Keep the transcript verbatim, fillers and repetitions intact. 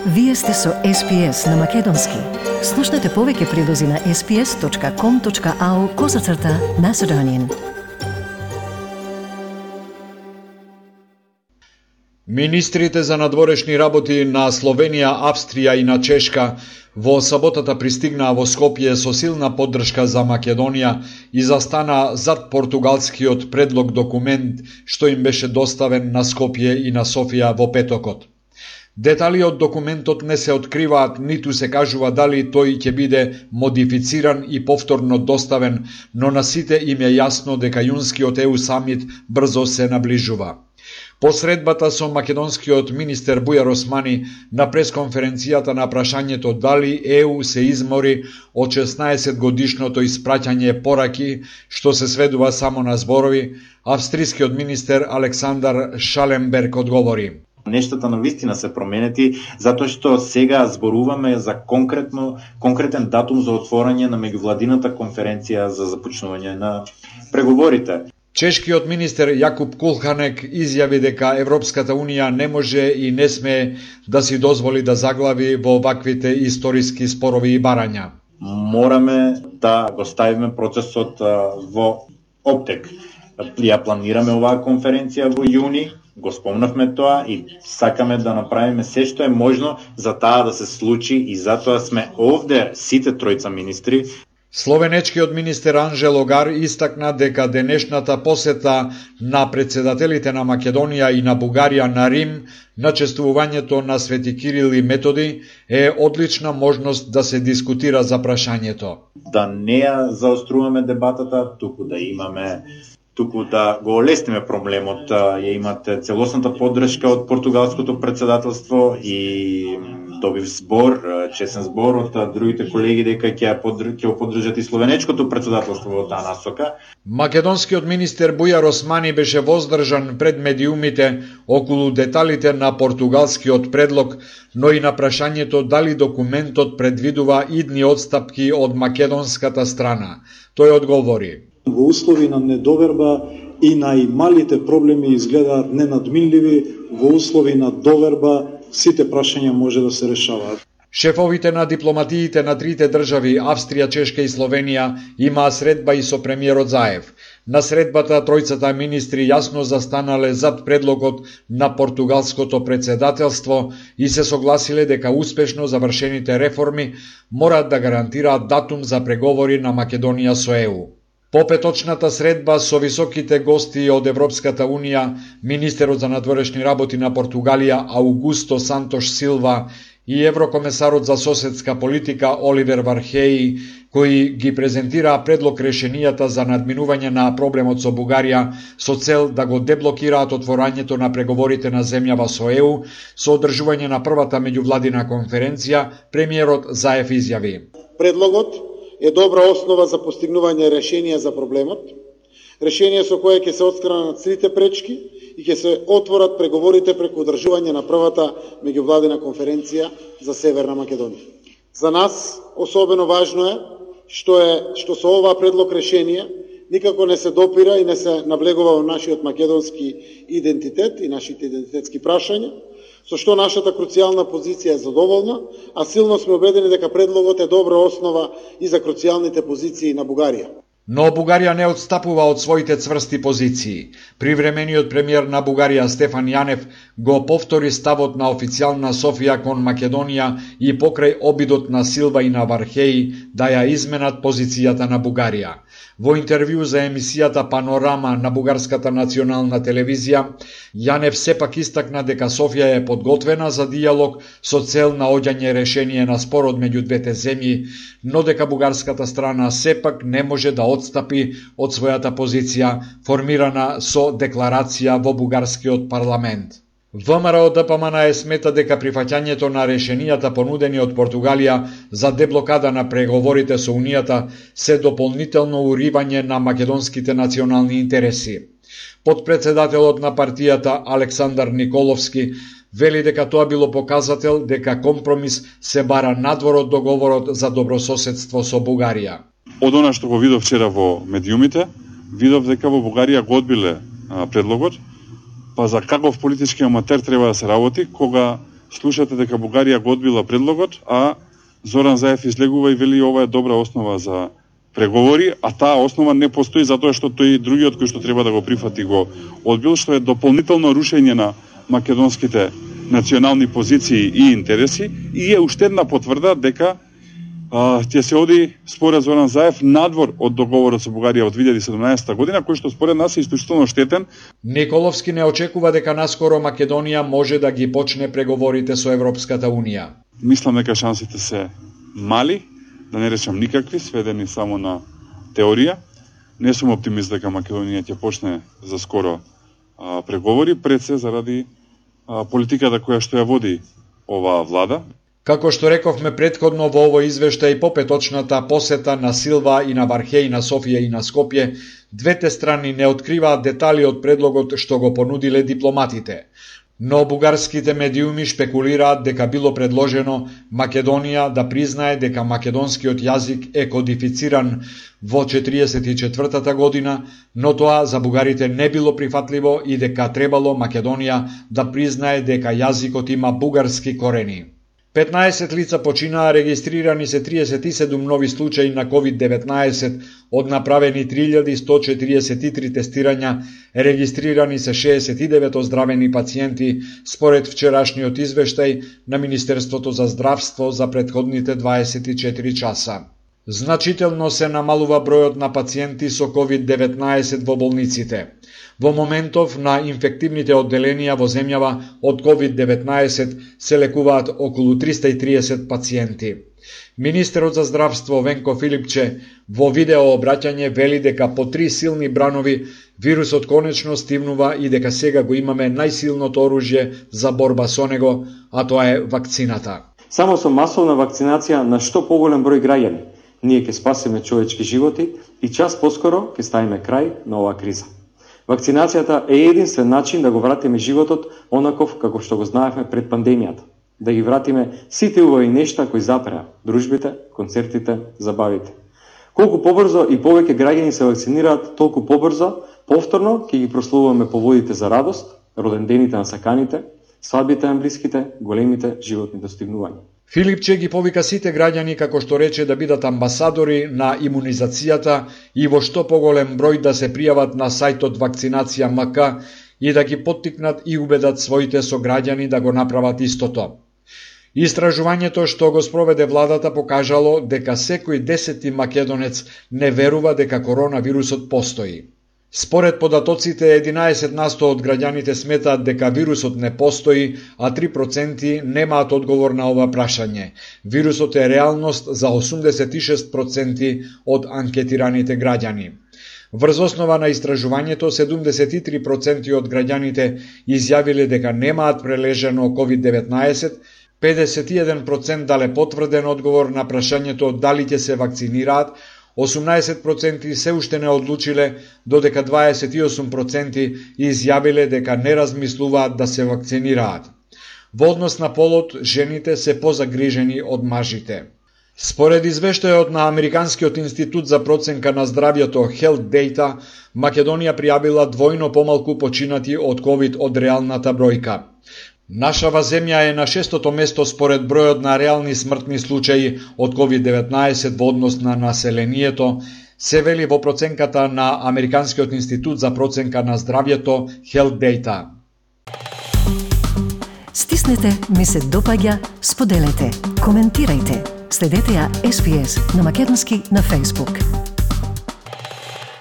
Вие сте со Ес Пи Ес на Македонски. Слушнете повеќе прилози на ес пи ес точка ком точка ау козацрта Macedonian. Министрите за надворешни работи на Словенија, Австрија и на Чешка во саботата пристигнаа во Скопје со силна поддршка за Македонија и застана зад португалскиот предлог документ што им беше доставен на Скопје и на Софија во петокот. Детали од документот не се откриваат, ниту се кажува дали тој ќе биде модифициран и повторно доставен, но на сите им е јасно дека јунскиот Е У самит брзо се наближува. По средбата со македонскиот министер Бујар Османи на пресконференцијата на прашањето дали Е У се измори од шеснаесет годишното испраќање пораки, што се сведува само на зборови, австрискиот министер Александар Шаленберг одговори: Нештата на вистина се променети, затоа што сега зборуваме за конкретно конкретен датум за отворање на меѓувладината конференција за започнување на преговорите. Чешкиот министер Јакуб Кулханек изјави дека Европската унија не може и не смее да си дозволи да заглави во ваквите историски спорови и барања. Мораме да го ставиме процесот во оптек. Ја планираме оваа конференција во јуни, го спомнавме тоа и сакаме да направиме се што е можно за таа да се случи и затоа сме овде сите тројца министри. Словенечкиот министер Анже Логар истакна дека денешната посета на председателите на Македонија и на Бугарија на Рим на чествувањето на Свети Кирил и Методи е одлична можност да се дискутира за прашањето. Да не ја заоструваме дебатата, туку да имаме туку да го олесниме проблемот, ја имате целосната поддршка од португалското председателство и добив збор, чесен збор од другите колеги дека ќе ќе поддржат и словенечкото председателство во таа насока. Македонскиот министер Бујар Османи беше воздржан пред медиумите околу деталите на португалскиот предлог, но и на прашањето дали документот предвидува идни одстапки од македонската страна. Тој одговори: Во услови на недоверба и најмалите проблеми изгледаат ненадминливи, во услови на доверба сите прашања може да се решаваат. Шефовите на дипломатиите на трите држави, Австрија, Чешка и Словенија, имаа средба и со премиерот Заев. На средбата тројцата министри јасно застанале зад предлогот на португалското председателство и се согласиле дека успешно завршените реформи мораат да гарантираат датум за преговори на Македонија со Е У. По петочната средба со високите гости од Европската унија, министерот за надворешни работи на Португалија Аугусто Сантош Силва и еврокомесарот за соседска политика Оливер Вархеи, кои ги презентираа предлог решенијата за надминување на проблемот со Бугарија со цел да го деблокираат отворањето на преговорите на земјава со Е У, со одржување на првата меѓувладина конференција, премиерот Заев изјави: Предлогот е добра основа за постигнување решенија за проблемот, решение со кое ќе се отстранат сите пречки и ќе се отворат преговорите преку одржување на првата меѓувладина конференција за Северна Македонија. За нас особено важно е што е што со оваа предлог решение никако не се допира и не се наблегува во нашиот македонски идентитет и нашите идентитетски прашања, со што нашата круцијална позиција е задоволна, а силно сме убедени дека предлогот е добра основа и за круцијалните позиции на Бугарија. Но Бугарија не отстапува од своите цврсти позиции. Привремениот премиер на Бугарија Стефан Јанев го повтори ставот на официјална Софија кон Македонија и покрај обидот на Силва и на Вархеи да ја изменат позицијата на Бугарија. Во интервју за емисијата Панорама на Бугарската национална телевизија, Јанев сепак истакна дека Софија е подготвена за дијалог со цел наоѓање решение на спорот меѓу двете земји, но дека бугарската страна сепак не може да отстапи од својата позиција формирана со декларација во бугарскиот парламент. ВМРО Д П М Н Е смета дека прифаќањето на решенијата понудени од Португалија за деблокада на преговорите со Унијата се дополнително уривање на македонските национални интереси. Подпредседателот на партијата Александар Николовски вели дека тоа било показател дека компромис се бара надвор од договорот за добрососедство со Бугарија. Од она што го видов вчера во медиумите, видов дека во Бугарија го одбиле а, предлогот, па за каков политички аматер треба да се работи кога слушате дека Бугарија го одбила предлогот, а Зоран Заев излегува и вели ова е добра основа за преговори, а таа основа не постои затоа што тој другиот кој што треба да го прифати го одбил, што е дополнително рушење на македонските национални позиции и интереси и е уште една потврда дека а, ќе се оди според Зоран Заев надвор од договорот со Бугарија од две илјади и седумнаесетта година, кој што според нас е исклучително штетен. Николовски не очекува дека наскоро Македонија може да ги почне преговорите со Европската Унија. Мислам дека шансите се мали, да не речам никакви, сведени само на теорија. Не сум оптимист дека Македонија ќе почне за скоро а, преговори, пред се заради а, политиката која што ја води оваа влада. Како што рековме претходно во овој извештај по петочната посета на Силва и на Вархеј, на Софија и на Скопје, двете страни не откриваат детали од предлогот што го понудиле дипломатите. Но бугарските медиуми шпекулираат дека било предложено Македонија да признае дека македонскиот јазик е кодифициран во четириесет и четвртата година, но тоа за бугарите не било прифатливо и дека требало Македонија да признае дека јазикот има бугарски корени. петнаесет лица починаа, регистрирани се триесет и седум нови случаи на ковид деветнаесет, од направени три илјади сто четириесет и три тестирања, регистрирани се шеесет и девет оздравени пациенти, според вчерашниот извештај на Министерството за здравство за претходните дваесет и четири часа. Значително се намалува бројот на пациенти со ковид деветнаесет во болниците. Во моментов на инфективните одделенија во земјава од ковид деветнаесет се лекуваат околу триста и триесет пациенти. Министерот за здравство Венко Филипче во видео обраќање вели дека по три силни бранови вирусот конечно стивнува и дека сега го имаме најсилното оружје за борба со него, а тоа е вакцината. Само со масовна вакцинација на што поголем број граѓани ние ќе спасиме човечки животи и час поскоро ќе ставиме крај на оваа криза. Вакцинацијата е единствен начин да го вратиме животот онаков како што го знаевме пред пандемијата. Да ги вратиме сите убави нешта кои запреа, дружбите, концертите, забавите. Колку побрзо и повеќе граѓани се вакцинираат, толку побрзо, повторно ќе ги прославуваме поводите за радост, родендените на саканите, свадбите на блиските, големите животни достигнувања. Филипче ги повика сите граѓани, како што рече, да бидат амбасадори на имунизацијата и во што поголем број да се пријават на сајтот Вакцинација МК и да ги поттикнат и убедат своите сограѓани да го направат истото. Истражувањето што го спроведе владата покажало дека секој десети македонец не верува дека коронавирусот постои. Според податоците, единаесет на сто од граѓаните сметаат дека вирусот не постои, а три проценти немаат одговор на ова прашање. Вирусот е реалност за осумдесет и шест проценти од анкетираните граѓани. Врз основа на истражувањето, седумдесет и три проценти од граѓаните изјавиле дека немаат прележено ковид деветнаесет, педесет и еден проценти дале потврден одговор на прашањето дали ќе се вакцинираат, осумнаесет проценти се уште не одлучиле, додека дваесет и осум проценти изјавиле дека не размислуваат да се вакцинираат. Во однос на полот, жените се позагрижени од мажите. Според извештајот на Американскиот институт за проценка на здравјето Health Data, Македонија пријавила двојно помалку починати од ковид од реалната бројка. Нашава земја е на шестото место според бројот на реални смртни случаи од ковид деветнаесет во однос на населението, се вели во проценката на Американскиот институт за проценка на здравјето Health Data. Стиснете, ми се допаѓа, споделете, коментирајте. Следете ја Ес Би Ес на македонски на Facebook.